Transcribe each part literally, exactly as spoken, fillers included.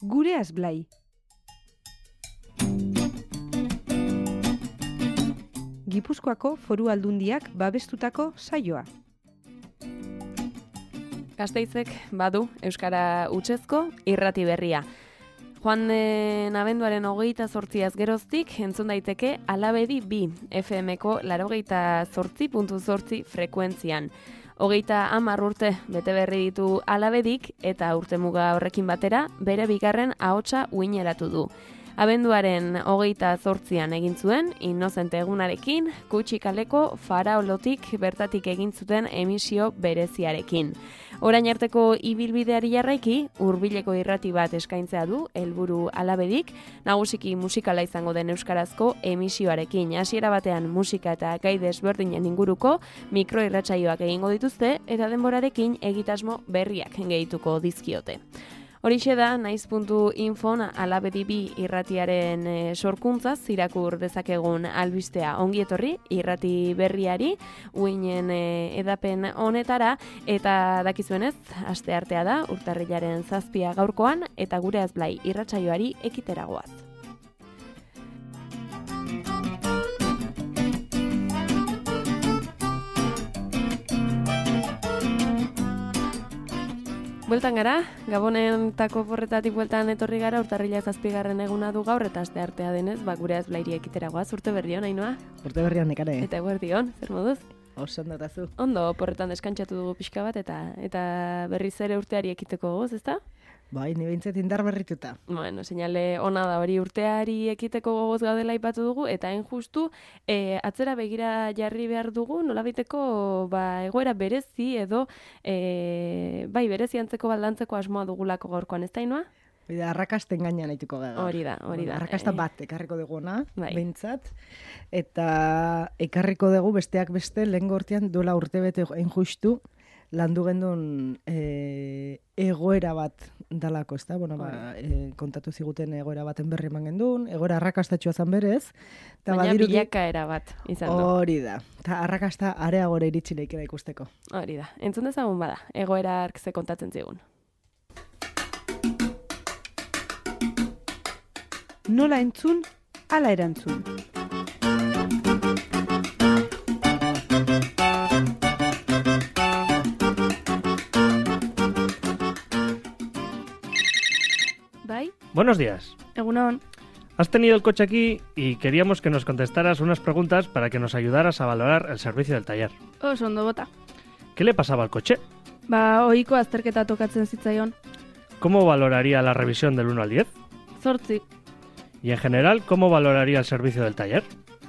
Gure Azblai. Gipuzkoako Foru Aldundiak babestutako saioa. Gasteizek badu euskara hutsezko irrati berria. Joan den abenduaren hogeita zortziaz geroztik entzun daiteke Alabedi bi F M-ko laurogeita zortzi puntu zortzi frekuentzian. Hogeita hamar urte bete berri ditu Alabedik eta urtemuga horrekin batera bere bigarren ahotsa uineratu du. Abenduaren hogeita zortzian egin zuen, Inozente egunarekin, Kutxi kaleko Faraolotik bertatik egin zuten emisio bereziarekin. Orain arteko ibilbideari jarraiki, hurbileko irrati bat eskaintzea du, helburu Alabedik, nagusiki musikala izango den euskarazko emisioarekin. Hasiera batean musika eta gai desberdinen inguruko mikroirratsaioak egingo dituzte eta denborarekin egitasmo berriak gehituko dizkiote. Horixe da, naiz puntu infon Alabedi bi irratiaren e, sorkuntzaz irakur dezakegun albistea. Ongi etorri irrati berriari, uinen e, edapen honetara, eta dakizuenez, asteartea da, urtarrilaren zazpia gaurkoan, eta Gure Azblai irratsaioari ekiteragoaz. Bueltan gara, Gabonetako porretatik bueltan etorri gara, urtarrila zazpigarren eguna du gaur, eta aste artea denez, ba, Gure Azblairi ekiteragoaz, urte berrion, Ainhoa? Urte berrion, nekare. Eta eguerdion, zer moduz? Oso ondatazu. Ondo, porretan deskantzatu dugu pixka bat, eta eta berriz ere urteari ekiteko gogoz, ezta? Bai, ni behintzat indar berrituta. Bueno, seinale ona da hori urteari ekiteko gogoz gaudela aipatu dugu, eta hain justu e, atzera begira jarri behar dugu, nolabaiteko ba, egoera berezi edo e, bai berezi antzeko baldantzeko asmoa dugulako gaurkoan, ez da, Ainhoa? Hori da, arrakasten gainean aituko gara. Hori da, hori da. Arrakasta bat ekarriko dugu ona, bai. Behintzat, eta ekarriko dugu besteak beste, lehen gortean duela urte bete hain justu, landu gendun e, egoera bat dalako, ez da? Bueno, ba, e, kontatu ziguten egoera baten berri eman gendun, egoera arrakastatxua zan berez. Baina badirudi, bilakaera bat izan du. Hori da, eta arrakasta areagora iritsi leikera ikusteko. Hori da, entzun dezagun bada, egoera arkze kontatzen zigun. Nola entzun, ala erantzun. ¿Bai? Buenos días. Egunon. Has tenido el coche aquí y queríamos que nos contestaras unas preguntas para que nos ayudaras a valorar el servicio del taller. Oso ondo bota. ¿Qué le pasaba al coche? Ba, ohiko azterketa tokatzen zitzaion. ¿Cómo valoraría la revisión del uno al diez? Zortzi. Y en general, ¿cómo valoraría el servicio del taller?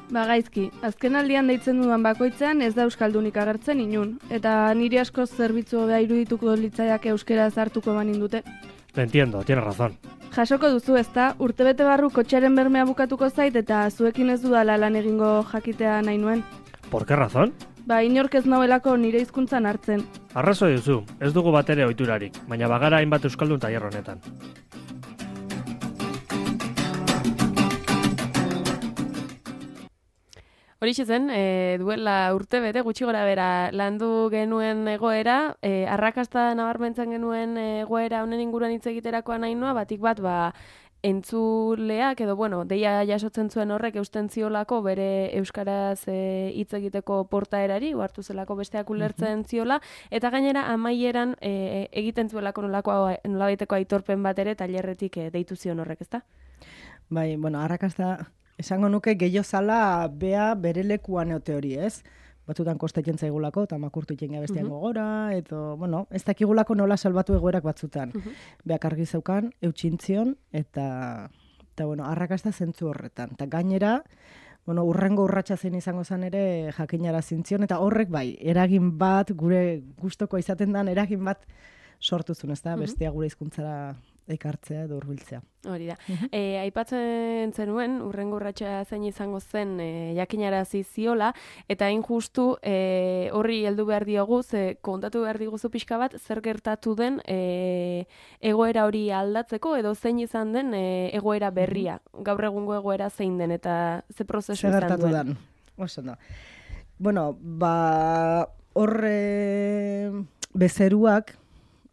Ba, gaizki, azken aldian deitzen dudan bakoitzean ez da euskaldunik agertzen inun, eta niri askoz zerbitzu hobea irudituko litzaiak euskaraz hartuko banin dute. Lo entiendo, tienes razón. Jasoko duzu, ezta? Urtebete barru kotxearen bermea bukatuko zait eta zuekin ez dudala lan egingo jakitea nahi nuen. ¿Por qué razón? Ba, inork ez nauelako nire hizkuntzan hartzen. Arrazoi duzu, ez dugu batere ohiturarik, baina bagara hainbat euskaldun tailer honetan. Horixe zen, e, duela urte bete gutxi gora bera landu genuen egoera, e, arrakasta nabarmentzen genuen egoera honen inguruan hitz egiterakoan Ainhoa, batik bat ba entzuleak edo bueno, deia jasotzen zuen horrek eusten ziolako bere euskaraz e, hitz egiteko portaerari, hartu zelako besteak ulertzen ziola, eta gainera amaieran e, egiten zuelako nolako nolabaiteko aitorpen bat ere tailerretik e, deitu zion horrek, ezta? Bai, bueno, arrakasta esango nuke gehiago zala bea bere lekuan eote hori, ez? Batzutan kostatzen zaigulako, eta makurtu itxenga bestean uh-huh. gogora, edo, bueno, ez dakigulako nola salbatu egoerak batzutan. Uh-huh. Beak argi zeukan, eutxintzion, eta, eta bueno, arrakasta zentzu horretan. Eta gainera, bueno, urrengo urratsa zein izango zen ere jakinara zintzion, eta horrek bai, eragin bat, gure gustoko izaten dan, eragin bat sortu zuen, ez da? Uh-huh. Bestea gure hizkuntzara ekartzea edo hurbiltzea. Hori da. Uh-huh. E, aipatzen zenuen, urrengo urratsa zein izango zen e, jakinarazi ziola, eta hain justu e, horri heldu behar diogu, ze kontatu behar diguzu pixka bat, zer gertatu den e, egoera hori aldatzeko, edo zein izan den e, egoera berria. Uh-huh. Gaur egungo egoera zein den, eta ze prozesu izan duen. Zer gertatu den. Oso no. Bueno, ba, horre bezeruak,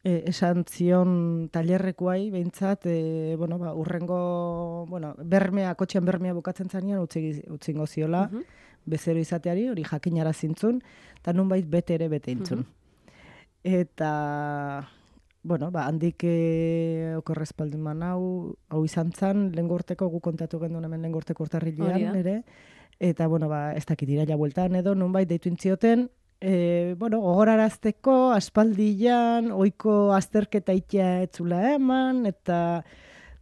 e, esan zion tailerrekuai, behintzat, e, bueno, ba, urrengo, bueno, bermea, kotxean bermea bukatzen zanean, utzi, utzingo ziola, Mhm. bezero izateari, hori jakinara zintzun, eta nunbait bete ere bete intzun. Eta, bueno, ba, handik e, okorrezpalduman hau, hau izan zan, lehengo urteko, gu kontatu gendun hemen lehengo urteko Hori da. urtarrilean ere, eta, bueno, ba, ez dakit iraila bueltan edo, nunbait deitu intzioten, e, bueno, gogorarazteko, aspaldian, oiko azterketa itea etzula eman, eta,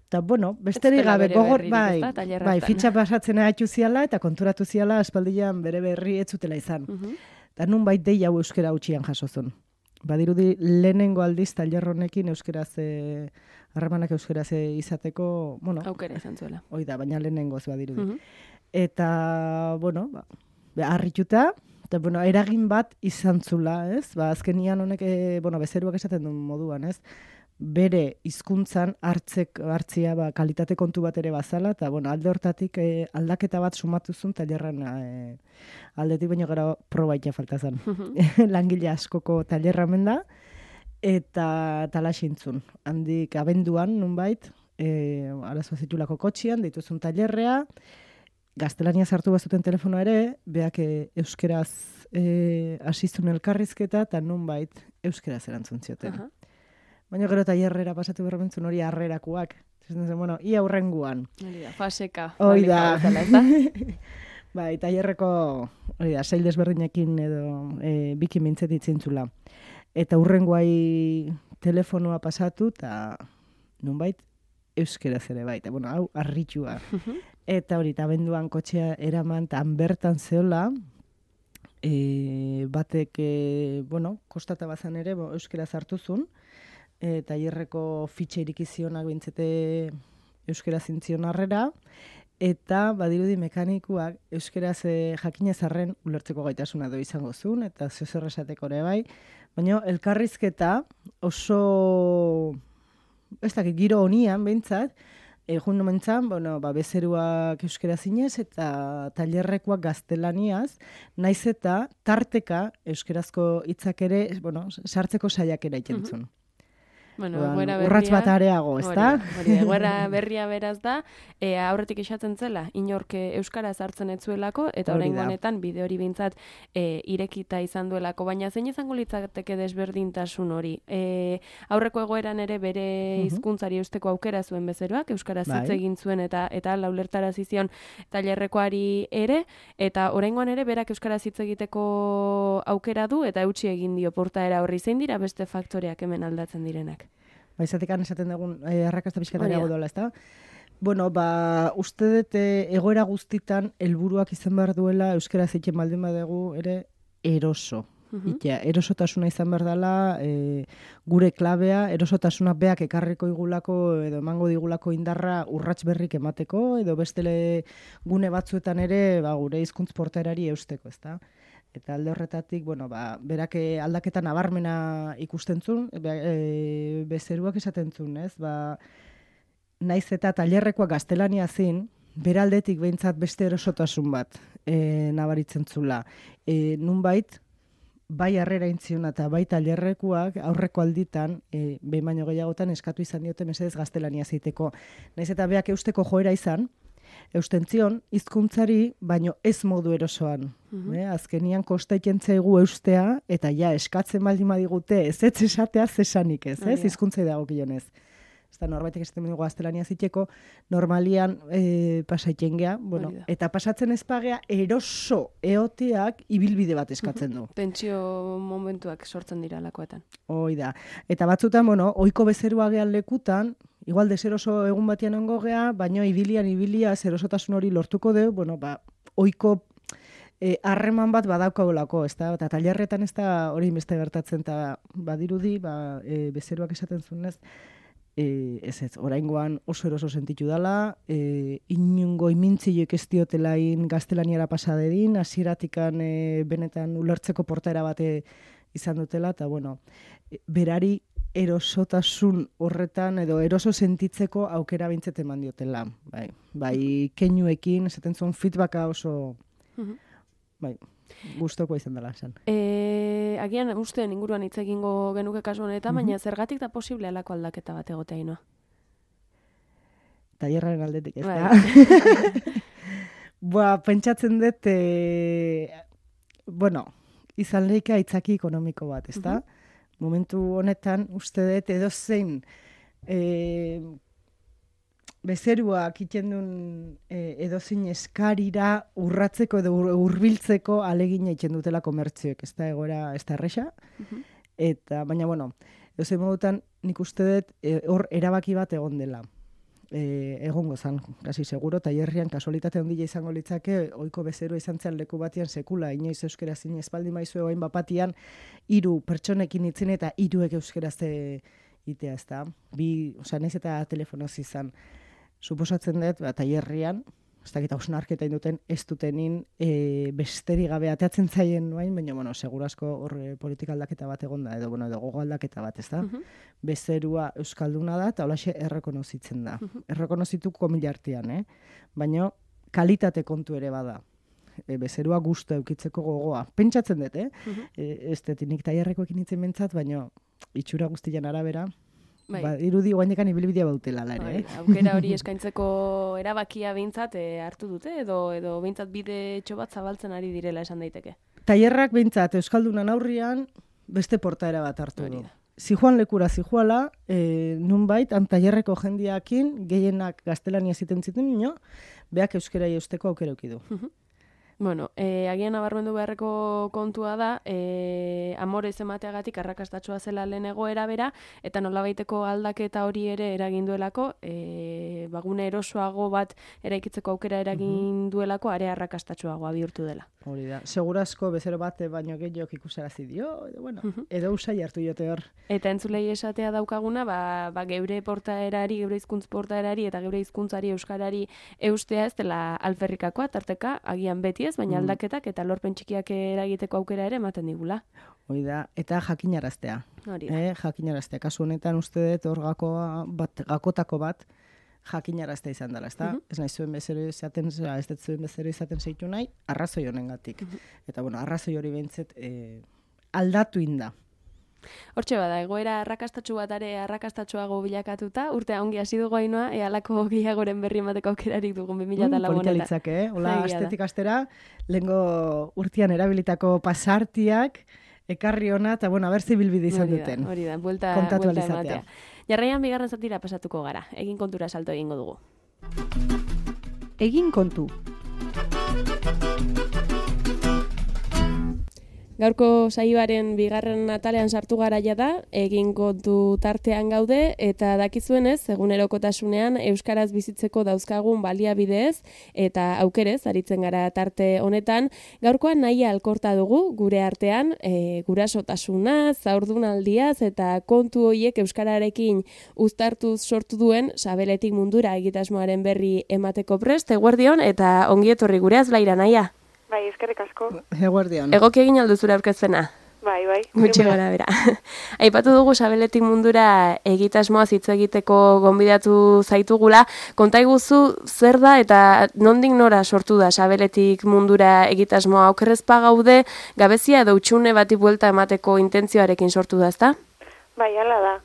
eta bueno, besterik dela gabe, bere gogor, berririk, bai, ezta, tailer bai, hartan. fitxa pasatzen haitu ziala, eta konturatu ziala, aspaldian bere berri etzutela izan. Mhm. Eta nunbait dei hau euskera utxian jasozun. Badirudi lehenengo aldiz tailer honekin euskeraz, e, harremanak euskeraz e, izateko, bueno, Aukera izan zuela. hoi da, baina lehenengoz badirudi. Mhm. Eta, bueno, ba, be, harrituta, eta, bueno, eragin bat izan zula, ez? Ba, azkenian honek, e, bueno, bezeruak esaten duen moduan, ez? Bere hizkuntzan hartzek, hartzia ba, kalitate kontu bat ere bazala, eta, bueno, alde hortatik e, aldaketa bat sumatuzun tailerran e, aldetik baino gara probaitea falta zen. Langile askoko tailerra hemen da, eta talaxintzun. Handik abenduan, nunbait, e, arazoa zitulako kotxian, dituzun tailerrea, gaztelania sartu bazuten telefonoa ere, beak e, euskeraz e, asizun elkarrizketa, eta nunbait euskeraz erantzun zioten. Aha. Baina gero tailerrera pasatu berbentzun hori harrerakoak. Zaten zen, bueno, ia hurrenguan. Hori da, faseka. Hoi baldin da. badutela, ezta? Bai, tailerreko, hori da, sail desberdinekin edo e, bikin mintzet itzintzula. Eta hurrengoai telefonoa pasatu, eta nunbait euskeraz ere bai. Eta, bueno, hau, harritua. Eta hori, eta abenduan kotxea eraman, eta han bertan zeola, e, batek, e, bueno, kostata bazan ere, bo, euskeraz hartuzun, e, tailerreko fitxa irikizionak bintzete euskera zintzion harrera, eta badirudi mekanikuak euskeraz e, jakinez arren ulertzeko gaitasuna do izango zuen, eta zeozer esateko ere bai, baina elkarrizketa oso, ez dakit, giro honian behintzat, egun nomentzan, bueno, ba, bezeruak euskera zinez eta tailerrekoak gaztelaniaz, naiz eta tarteka euskerazko hitzak ere, bueno, sartzeko saiakera itentzun. Bueno, Orduan, egoera berria... urrats bat areago, Hori ezta? da, hori da, egoera berria beraz da, e, aurretik esaten zela, inork euskaraz hartzen ez zuelako, eta Hori oraingo da. honetan bide hori behintzat e, irekita izan duelako, baina zein izango litzateke desberdintasun hori? E, aurreko egoeran ere bere hizkuntzari eusteko aukera zuen bezeroak, euskaraz hitz Bai. egin zuen eta eta laulertarazi zion tailerrekoari ere, eta oraingoan ere berak euskaraz hitz egiteko aukera du eta eutsi egin dio portaera horri. Zein dira beste faktoreak hemen aldatzen direnak? Ba, izatekan esaten dugun eh, arrakasta pixkatariago Hori da. dola, ezta? Bueno, ba, uste dut eh, egoera guztitan helburuak izan behar duela euskaraz egiten baldin badugu ere eroso. Mhm. Itea, erosotasuna izan behar dela, e, gure klabea, erosotasuna beak ekarriko igulako edo emango digulako indarra urrats berrik emateko, edo bestele gune batzuetan ere ba, gure hizkuntz portaerari eusteko, ezta? Eta alde horretatik, bueno, ba, berak eh, aldaketa nabarmena ikusten zuen, be, e, bezeruak esaten zuen, ez? Ba, naiz eta tailerrekoa gaztelania zin, beraldetik behintzat beste erosotasun bat e, nabaritzen zula. E, nunbait, bai harrera intziona eta bai tailerrekuak aurreko alditan, e, behin baino gehiagotan eskatu izan diote mesedez gaztelania zeiteko. Naiz eta beak eusteko joera izan, eustentzion, hizkuntzari baino ez modu erosoan. Mhm. Eh, azkenian kosta egiten zaigu eustea, eta ja, eskatzen baldin badigute ez ez esatea zesanik ez, Hori ez, da. hizkuntzai dagokionez. Ez da norbaitek esaten dugu gaztelania ziteko, normalian e, pasaiten gea, bueno, Hori da. eta pasatzen ezpagea eroso eoteak ibilbide bat eskatzen du. Tentsio momentuak sortzen dira lakoetan. Hoi da. Eta batzutan, bueno, ohiko bezerua gean lekutan, igual deseroso egun batean ongo gea, baino ibilian ibilia zerosotasun hori lortuko deu, bueno, ba, ohiko eh, harreman bat badaukagolako, ezta? Eta tailerretan ez da hori beste gertatzen, eta badirudi, ba, e, bezeruak esaten zunez, e, ez ez, oraingoan oso eroso sentitu dala, e, inungo imintziloek ez diotelain gaztelaniara pasadedin, hasieratikan e, benetan ulertzeko portaera bate izan dutela, eta bueno, e, berari erosotasun horretan edo eroso sentitzeko aukera bintzet eman diotela. Bai, bai keinuekin, esaten zuen feedbacka oso, Mhm. bai, Gustoko izan dela esan. E, agian usteen inguruan hitz egingo genuke kasu honetan, baina zergatik da posible alako aldaketa bat egotea inoa? Tailerraren aldetik, ez Bai. da? Boa, pentsatzen dut, e, bueno, izan lehika aitzaki ekonomiko bat, ez da? Momentu honetan, uste dut, edozein e, bezeruak iten duen e, edozein eskarira urratzeko edo ur- hurbiltzeko alegina iten dutela komertzioek, ez da egoera, ez da erresa. Eta, baina, bueno, edozein modutan, nik uste dut, e, hor erabaki bat egon dela. E, egongo zan, kasi seguro, tailerrian kasualitate handia izango litzake, ohiko bezero izan zen leku batean sekula, inoiz euskera zine espaldi maizu egoin bapatian, hiru pertsonekin itzin eta hiruek euskaraz itea, ez da. Bi, osea, naiz eta telefonoz izan. Suposatzen dut, ba, tailerrian, ez dakit hausnarketa induten, ez dutenin e, besteri gabe ateatzen zaien nuain, baina, bueno, segurasko hor e, politika aldaketa bat egon da, edo, bueno, edo gogo aldaketa bat, ez da? Bezerua euskalduna da, eta holaxe errekonozitzen da. Errekonozitu komilartian, eh? Baina kalitate kontu ere bada. E, bezerua gustu eukitzeko gogoa. Pentsatzen dut, eh? E, ez dut, nik tailerrekoekin itzen bentsat, baina itxura guztian arabera, Bai. ba, irudi guainekan ibilbidea bautela, ere, Bai, eh? aukera hori eskaintzeko erabakia behintzat e, hartu dute, edo edo behintzat bide bat zabaltzen ari direla esan daiteke. Tailerrak behintzat Euskaldunan aurrian beste portaera bat hartu Hori du. da. Zijoan lekura zijoala, e, nunbait, han tailerreko jendiakin, gehienak gaztelania ziten ziten nino, beak euskerai eusteko aukera eukidu. Bueno, e, agian nabarmendu beharreko kontua da, e, amorez emateagatik arrakastatxoa zela lehen egoera bera, eta nolabaiteko aldaketa hori ere eragin duelako, e, bagune erosoago bat eraikitzeko aukera eragin duelako, are arrakastatxoagoa bihurtu dela. Hori da, segurasko bezero bat baino gehiok ikusarazi dio, edo, bueno, edo usai hartu jote hor. Eta entzulei esatea daukaguna, ba, ba geure portaerari, geure hizkuntz portaerari eta geure hizkuntzari euskarari eustea ez dela alferrikakoa, tarteka, agian beti ez, baina aldaketak eta lorpen txikiak eragiteko aukera ere ematen digula. Hori da, eta jakinaraztea. Hori da. Eh, jakinaraztea. Kasu honetan uste dut hor gakoa bat, gakotako bat jakinaraztea izan dela, ezta? Ez nahi zuen bezero izaten, ez dut zuen bezero izaten zeitu nahi, arrazoi honengatik. Eta, bueno, arrazoi hori behintzet eh, aldatu inda. Hortxe bada, egoera arrakastatxu bat are arrakastatxuago bilakatuta, urtea ongi hasi dugu Ainhoa, ea halako gehiagoren berri emateko aukerarik dugun bi mila lau Polita honetan. litzake, eh? Ola, Egia da. astetik astera, lehengo urtean erabilitako pasartiak, ekarri ona, eta, bueno, haber zibilbide izan Hori da, duten. Hori da, buelta, Kontatu buelta ahal izatea. ematea. Jarraian bigarren zatira pasatuko gara, egin kontura salto egingo dugu. Egin kontu. Gaurko saioaren bigarren atalean sartu gara da, egin kontu tartean gaude, eta dakizuenez, egunerokotasunean euskaraz bizitzeko dauzkagun baliabideez eta aukerez aritzen gara tarte honetan. Gaurkoan nahia alkorta dugu gure artean, e, gurasotasuna, zaurdunaldiaz eta kontu horiek euskararekin uztartuz sortu duen Sabeletik mundura egitasmoaren berri emateko prest, eguerdion eta ongi etorri gure azlaira nahia. Bai, eskerrik asko. Eguerdion. Egoki egin aldu zure aurkezpena? Bai, bai. Gutxi gara bera. Aipatu dugu Sabeletik mundura egitasmoa hitz egiteko gonbidatu zaitugula. Konta iguzu zer da eta nondik nora sortu da Sabeletik mundura egitasmoa? Okerrezpa gaude, gabezia edo utxune bati buelta emateko intentzioarekin sortu da, ezta? Bai, hala da.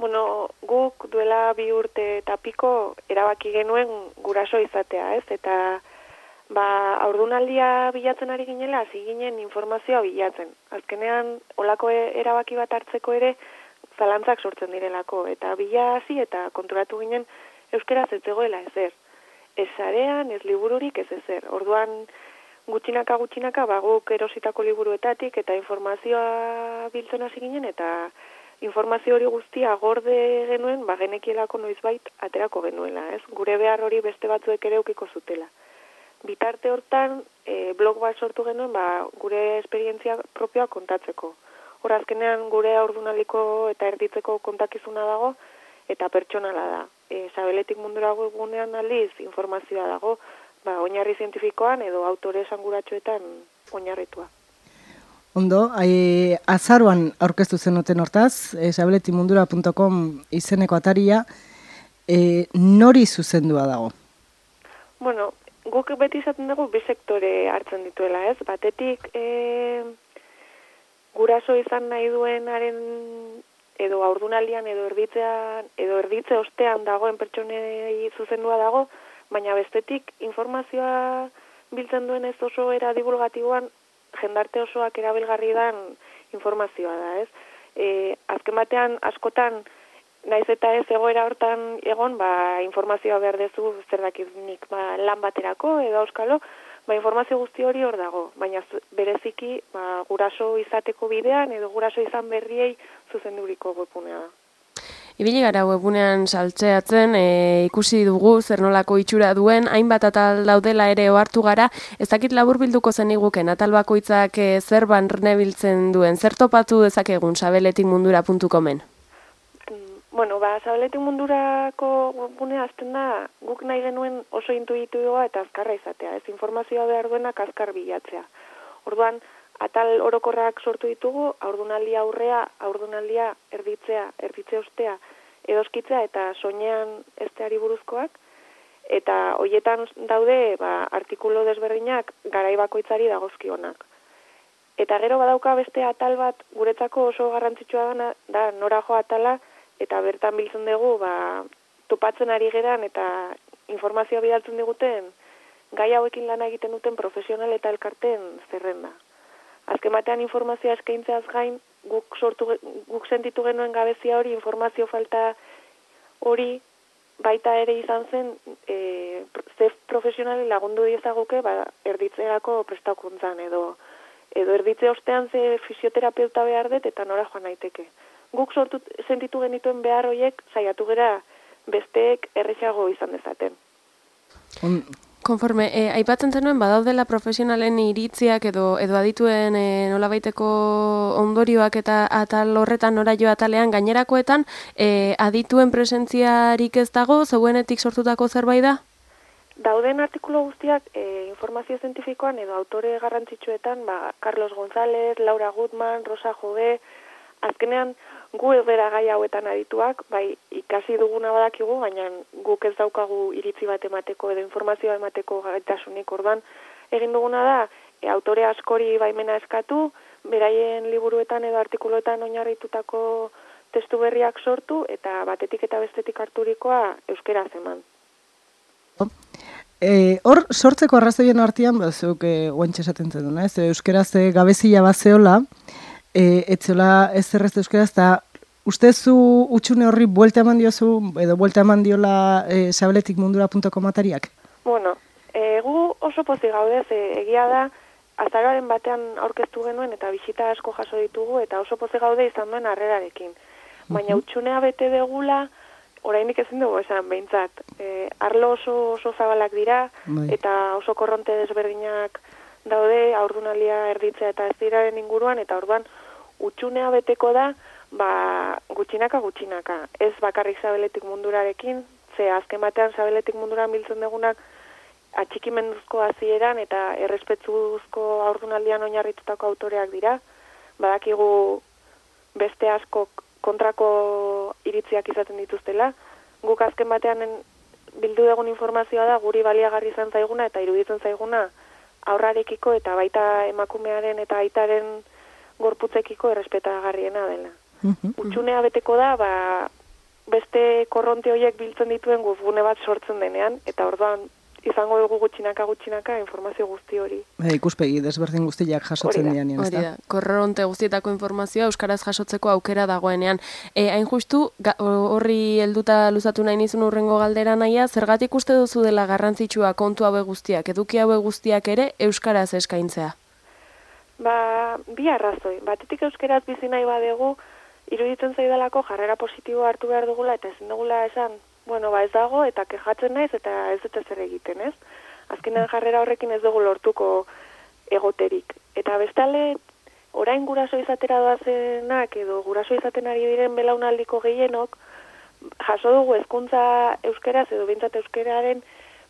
Bueno, guk duela bi urte eta piko erabaki genuen guraso izatea, ez? Eta ba, aurdunaldia bilatzen ari ginela, hasi ginen informazioa bilatzen. Azkenean, olako erabaki bat hartzeko ere, zalantzak sortzen direlako. Eta bila hasi eta konturatu ginen euskaraz ez zegoela ezer. Ez sarean, ez libururik, ez ezer. Orduan, gutxinaka gutxinaka, ba, guk erositako liburuetatik eta informazioa biltzen hasi ginen, eta informazio hori guztia gorde genuen, ba, genekielako noizbait aterako genuela, ez? Gure behar hori beste batzuek ere eukiko zutela. Bitarte hortan, e, blog bat sortu genuen, ba, gure esperientzia propioa kontatzeko. Hor azkenean gure aurdunaliko eta erditzeko kontakizuna dago, eta pertsonala da. E, Sabeletik mundura gunean aldiz informazioa dago, ba, oinarri zientifikoan edo autore esanguratsuetan oinarritua. Ondo, ai, azaruan aurkeztu zenuten hortaz, e, sabeletimundura puntu com izeneko ataria, e, nori zuzendua dago? Bueno, guk beti izaten dugu bi sektore hartzen dituela, ez? Batetik, e, guraso izan nahi duenaren edo haurdunaldian edo erditzean edo erditze ostean dagoen pertsonei zuzendua dago, baina bestetik informazioa biltzen duen ez oso era divulgatiboan jendarte osoak erabilgarri dan informazioa da, ez? E, azken batean askotan naiz eta ez egoera hortan egon, ba, informazioa behar dezu zer dakiznik ba, lan baterako edo auskalo, ba, informazio guzti hori hor dago, baina bereziki ba, guraso izateko bidean edo guraso izan berriei zuzenduriko webgunea da. Ibili gara webunean saltzeatzen, e, ikusi dugu zer nolako itxura duen, hainbat atal daudela ere ohartu gara, ez dakit laburbilduko zeniguken atal bakoitzak e, zer barnebiltzen duen, zer topatu dezakegun sabeletik mundura puntu comen? Bueno, ba, sabeletik mundurako webgunea azten da, guk nahi genuen oso intuitiboa eta azkarra izatea, ez informazioa behar duenak azkar bilatzea. Orduan, atal orokorrak sortu ditugu, haurdunaldia aurrea, haurdunaldia erditzea, erditze ostea, edoskitzea eta soinean esteari buruzkoak, eta hoietan daude ba, artikulu desberdinak garai bakoitzari dagozkionak. Eta gero badauka beste atal bat guretzako oso garrantzitsua da, da norajo atala, eta bertan biltzen dugu ba, topatzen ari geran eta informazioa bidaltzen diguten gai hauekin lana egiten duten profesional eta elkarteen zerrenda. Azken batean informazioa eskaintzeaz gain, guk sortu guk sentitu genuen gabezia hori, informazio falta hori baita ere izan zen e, ze profesionali lagundu diezaguke ba, erditzerako prestakuntzan edo edo erditze ostean ze fisioterapeuta behar dut eta nora joan naiteke. Guk sortu sentitu genituen behar horiek saiatu gera besteek erresago izan dezaten. On... Konforme, eh, aipatzen zenuen badaudela profesionalen iritziak edo edo adituen eh, nolabaiteko ondorioak eta atal horretan nora jo atalean gainerakoetan eh, adituen presentziarik ez dago, zeuenetik sortutako zerbait da? Dauden artikulu guztiak eh, informazio zientifikoan edo autore garrantzitsuetan, ba, Carlos González, Laura Gutman, Rosa Jove, azkenean gu bera gai hauetan adituak, bai ikasi duguna badakigu, baina guk ez daukagu iritzi bat emateko edo informazioa emateko gaitasunik. Orduan egin duguna da, e, autore askori baimena eskatu, beraien liburuetan edo artikuluetan oinarritutako testu berriak sortu eta batetik eta bestetik harturikoa euskaraz eman. E, hor, sortzeko arrazoien artean, bazuk e, oantxe esaten zen, ez? Euskaraz e, gabezia bazeola, E, etzola ez zerrez euskaraz, eta ustezu utxune horri buelta eman diozu, edo buelta eman diola e, sabeletik mundura puntu com atariak? Bueno, e, gu oso pozik gaude, ze egia da, azaroaren batean aurkeztu genuen eta bisita asko jaso ditugu, eta oso pozik gaude izan duen harrerarekin. Baina uh-huh. utxunea bete degula, oraindik ezin dugu esan behintzat. E, arlo oso, oso zabalak dira, Bai. Eta oso korronte desberdinak daude, haurdunalia erditzea eta ez diraren inguruan, eta orduan utxunea beteko da, ba, gutxinaka gutxinaka. Ez bakarrik sabeletik mundurarekin, ze azken batean sabeletik munduran biltzen dugunak atxikimenduzko hasieran eta errespetuzko haurdunaldian oinarritutako autoreak dira. Badakigu beste asko kontrako iritziak izaten dituztela. Guk azken batean bildu dugun informazioa da guri baliagarri izan zaiguna eta iruditzen zaiguna aurrarekiko eta baita emakumearen eta aitaren gorputzekiko errespetagarriena dela. Uh-huh. Utxunea beteko da, ba, beste korronte horiek biltzen dituen webgune bat sortzen denean, eta orduan izango dugu gutxinaka gutxinaka informazio guzti hori. E, ikuspegi desberdin guztiak jasotzen dian. Hori da, korronte guztietako informazioa euskaraz jasotzeko aukera dagoenean. E, hain justu, ga, horri helduta luzatu nahi nizun urrengo galdera nahia, zergatik uste duzu dela garrantzitsua kontu haue guztiak, eduki haue guztiak ere euskaraz eskaintzea? Ba, bi arrazoi. Batetik euskaraz bizi nahi badegu, iruditzen zaidalako jarrera positiboa hartu behar dugula eta ezin dugula esan, bueno, ba ez dago eta kejatzen naiz eta ez dut ezer egiten, ez? Azkenean jarrera horrekin ez dugu lortuko egoterik. Eta bestale, orain guraso izatera doazenak edo guraso izaten ari diren belaunaldiko gehienok, jaso dugu hezkuntza euskaraz edo behintzat euskararen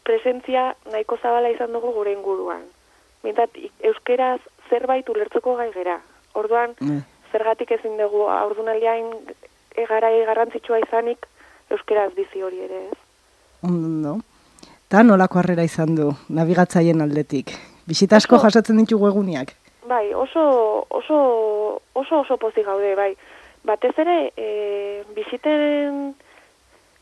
presentzia nahiko zabala izan dugu gure inguruan. Behintzat euskaraz zerbait ulertzeko gai gera. Orduan, mm. zergatik ezin dugu haurdunaldian garai garrantzitsua izanik euskaraz bizi hori ere, ez? No. Ta nolako harrera izan du nabigatzaien aldetik? Bisita asko Oso- jasotzen ditugu eguniak. Bai, oso oso oso oso pozik gaude, bai. Batez ere, e, bisiten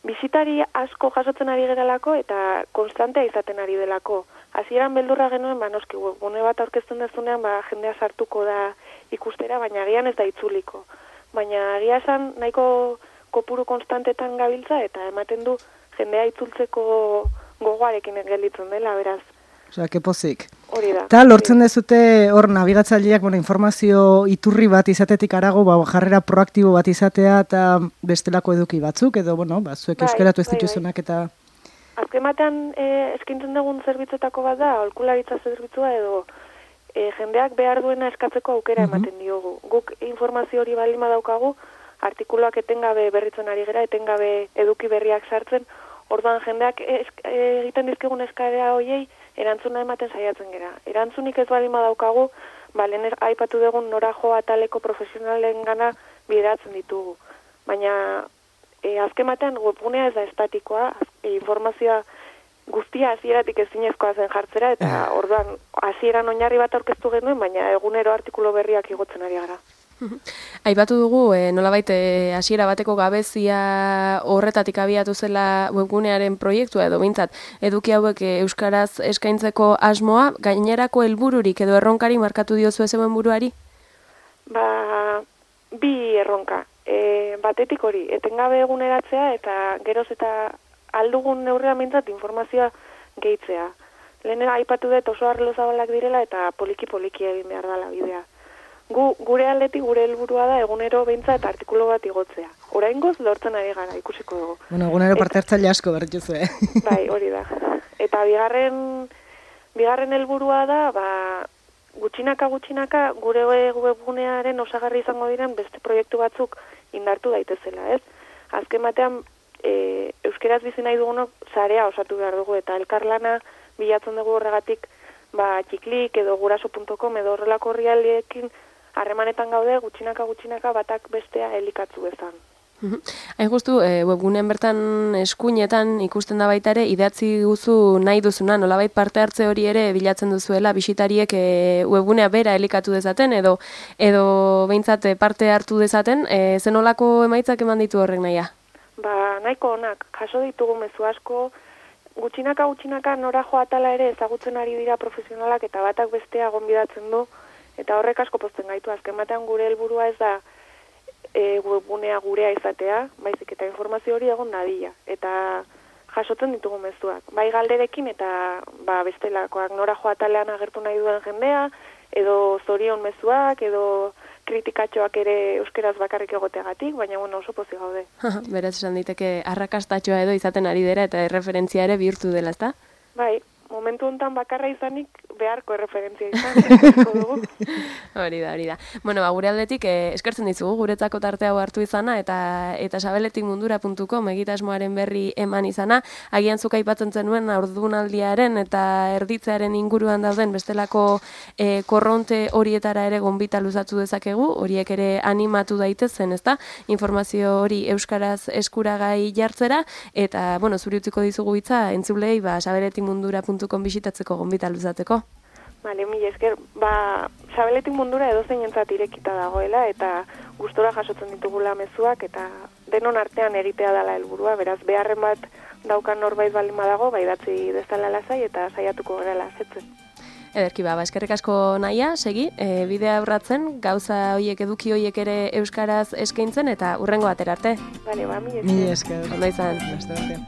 bisitari asko jasotzen ari geralako eta konstantea izaten ari delako. Hasieran beldurra genuen, ba noski webgune bat aurkezten dezunean, ba jendea sartuko da ikustera, baina agian ez da itzuliko. Baina agia esan nahiko kopuru konstantetan gabiltza eta ematen du jendea itzultzeko gogoarekin gelditzen dela, beraz. Osea, ke pozik. Hori da. Eta lortzen dezute hor nabigatzaileak, bueno, informazio iturri bat izatetik arago, ba, jarrera proaktibo bat izatea eta bestelako eduki batzuk, edo, bueno, ba, zuek Bai, euskeratu ez bai, bai. dituzunak eta... Azken batean e, eskintzen dugun zerbitzuetako bat da, aholkularitza zerbitzua edo e, jendeak behar duena eskatzeko aukera Mhm. ematen diogu. Guk informazio hori baldin badaukagu, artikuluak etengabe berritzen ari gera, etengabe eduki berriak sartzen, orduan jendeak esk, e, egiten dizkigun eskarea hoiei erantzuna ematen saiatzen gera. Erantzunik ez baldin badaukagu, ba, lehen er- aipatu dugun nora jo ataleko profesionalen gana bideratzen ditugu. Baina e, azken batean webgunea ez da estatikoa, az- e, informazioa guztia hasieratik ezinezkoa zen jartzera, eta orduan hasieran oinarri bat aurkeztu genuen, baina egunero artikulu berriak igotzen ari gara. Aipatu dugu, e, nolabait e, hasiera bateko gabezia horretatik abiatu zela webgunearen proiektua edo behintzat eduki hauek e, euskaraz eskaintzeko asmoa, gainerako helbururik edo erronkari markatu diozu zeuen buruari? Ba, bi erronka. E, batetik hori, etengabe eguneratzea eta geroz eta aldugun neurrean behintzat informazioa gehitzea. Lehen aipatu dut oso arlo zabalak direla eta poliki-poliki egin behar dela bidea. Gu, gure aldetik gure helburua da egunero behintzat artikulu bat igotzea. Oraingoz lortzen ari gara, ikusiko dugu. Bueno, egunero parte hartzaile asko berritzu, eh? Bai, hori da. Eta bigarren bigarren helburua da, ba, gutxinaka gutxinaka gure webgunearen osagarri izango diren beste proiektu batzuk indartu daitezela, ez? Azken batean e, euskeraz bizi nahi dugunok sarea osatu behar dugu eta elkarlana bilatzen dugu horregatik, ba, txiklik edo guraso puntu com edo horrelako orrialdeekin harremanetan gaude gutxinaka gutxinaka batak bestea elikatzu bezan. Hain justu, e, webgunean bertan eskuinetan ikusten da baita ere, idatzi guzu nahi duzuna, nolabait parte hartze hori ere bilatzen duzuela, bisitariek e, webgunea bera elikatu dezaten, edo edo behintzat e, parte hartu dezaten, e, zenolako emaitzak eman ditu horrek nahia? Ba, nahiko onak, jaso ditugu mezu asko, gutxinaka gutxinaka nora jo atala ere ezagutzen ari dira profesionalak eta batak bestea gonbidatzen du, eta horrek asko pozten gaitu. Azken batean gure helburua ez da e, webgunea gurea izatea, baizik eta informazio hori egon dadila. Eta jasotzen ditugu mezuak. Bai galderekin eta ba, bestelakoak nora jo atalean agertu nahi duen jendea, edo zorion mezuak, edo kritikatxoak ere euskeraz bakarrik egoteagatik, baina bueno, oso pozik gaude. Beraz esan diteke arrakastatxoa edo izaten ari dira eta erreferentzia ere bihurtu dela, ezta? Bai, momentu honetan bakarra izanik beharko erreferentzia izan, eskertuko dugu. Hori da, hori da. Bueno, ba, gure aldetik eh, eskertzen dizugu guretzako tarte hau hartu izana eta eta sabeletik mundura puntu com egitasmoaren berri eman izana. Agian zuk aipatzen zenuen haurdunaldiaren eta erditzearen inguruan dauden bestelako eh, korronte horietara ere gonbita luzatu dezakegu, horiek ere animatu daitezen, ezta? Informazio hori euskaraz eskuragai jartzera eta bueno, zuri utziko dizugu hitza entzulei ba sabeletik mundura puntu com bisitatzeko gonbita luzateko. Bale, mila esker, ba, sabeletik mundura edozein entzat irekita dagoela eta gustora jasotzen ditugula mezuak eta denon artean egitea dela helburua, beraz beharren bat daukan norbait baldin badago, ba idatzi dezala lasai eta saiatuko gerala asetzen. Ederki ba, eskerrik asko nahia, segi, e, bidea aurratzen, gauza hoiek eduki hoiek ere euskaraz eskaintzen eta urrengo batera arte. Bale, ba, mila esker. Mila esker. Ondo izan. Beste batean.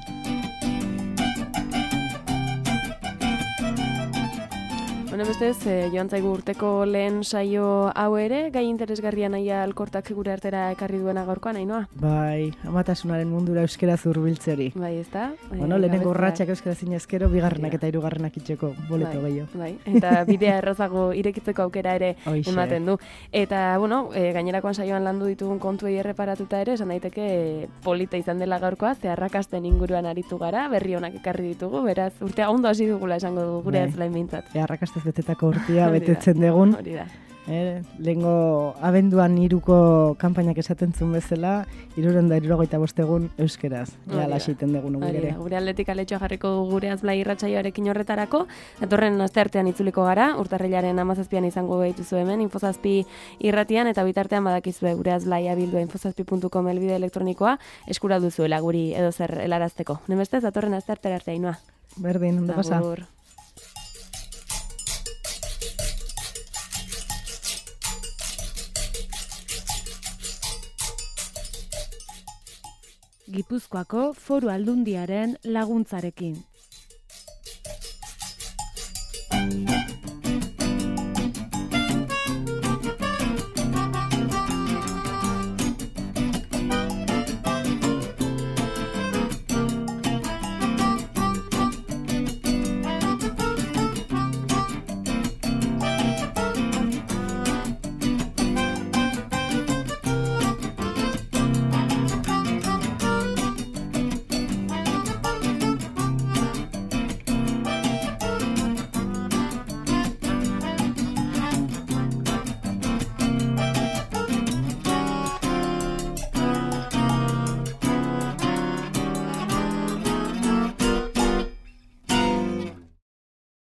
Bueno, bestez, eh, joan zaigu urteko lehen saio hau ere, gai interesgarria nahia alkortak gure artera ekarri duena gaurkoan, Ainoa? Bai, amatasunaren mundura euskaraz hurbiltzeri. Bai, ezta? Bueno, lehenengo urratsak euskaraz inezkero, bigarrenak eta hirugarrenak itxeko boleto bai, gehiago. bai, eta bidea errazago irekitzeko aukera ere Hoixe. ematen du. Eta, bueno, e, gainerakoan saioan landu ditugun kontuei erreparatuta ere, esan daiteke e, polita izan dela gaurkoa, ze arrakasten inguruan aritu gara, berri onak ekarri ditugu, beraz, urtea ondo hasi dugula esango dugu gure Bai. ez lain bintzat. E, arrakastez betetako urtia Hori da, betetzen degun. Hori da. Eh, lehengo abenduan hiruko kanpainak esaten zuen bezala, hirurehun eta hirurogeita bost egun euskeraz. Ea lasiten dugun gure ere. Gure aldetik aletxoa jarriko dugu gure azblai irratsaioarekin horretarako. Datorren asteartean itzuliko gara, urtarrilaren hamazazpian izango behituzu hemen, infozazpi irratian, eta bitartean badakizue gure azblai abildua infozazpi puntu com elbide elektronikoa eskura duzuela guri edo zer helarazteko. Nemestez, datorren asteartera arte Ainhoa. Berdin, ondo pasa. Agur. Gipuzkoako Foru Aldundiaren laguntzarekin.